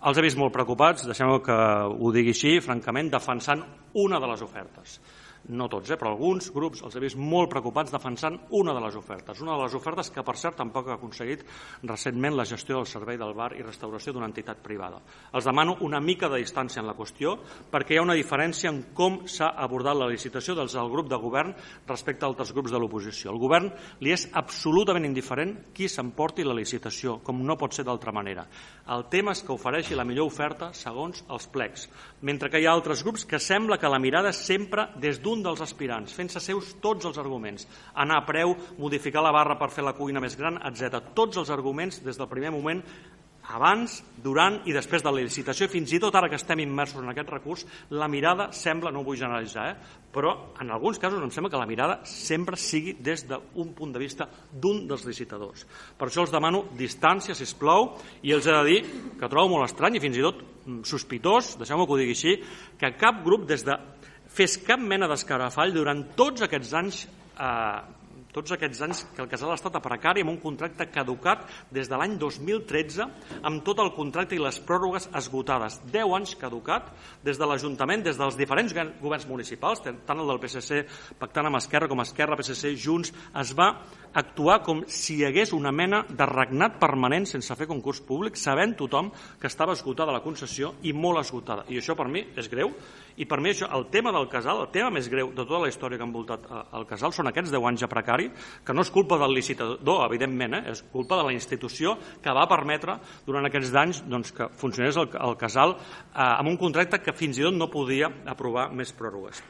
Els he vist molt preocupats, deixeu-me que ho digui així, francament, defensant una de les ofertes. No tots, però alguns grups els he vist molt preocupats defensant una de les ofertes. Una de les ofertes que, per cert, tampoc ha aconseguit recentment la gestió del servei del bar i restauració d'una entitat privada. Els demano una mica de distància en la qüestió perquè hi ha una diferència en com s'ha abordat la licitació des del grup de govern respecte a altres grups de l'oposició. Al govern li és absolutament indiferent qui s'emporti la licitació, com no pot ser d'altra manera. El tema és que ofereixi la millor oferta segons els plecs, mentre que hi ha altres grups que sembla que la mirada és sempre des d'un dels aspirants, fent-se seus tots els arguments, anar a preu, modificar la barra per fer la cuina més gran, etc. Tots els arguments des del primer moment, abans, durant i després de la licitació, fins i tot ara que estem immersos en aquest recurs, la mirada sembla, no ho vull generalitzar, però en alguns casos em sembla que la mirada sempre sigui des d'un punt de vista d'un dels licitadors. Per això els demano distància, sisplau, i els he de dir que trobo molt estrany i fins i tot sospitós, deixeu-me que ho digui així, que cap grup fes cap mena d'escarafall durant tots aquests anys que el casal ha estat a precari amb un contracte caducat des de l'any 2013 amb tot el contracte i les pròrrogues esgotades. 10 anys caducat des de l'Ajuntament, des dels diferents governs municipals, tant el del PSC pactant amb Esquerra com Esquerra, PSC, Junts, es va actuar com si hi hagués una mena de regnat permanent sense fer concurs públic, sabent tothom que estava esgotada la concessió i molt esgotada. I això per mi és greu. I per mi això, el tema del casal, el tema més greu de tota la història que ha envoltat el casal són aquests 10 anys a precari, que no és culpa del licitador, evidentment, és culpa de la institució que va permetre durant aquests anys que funcionés el casal amb un contracte que fins i tot no podia aprovar més pròrrogues.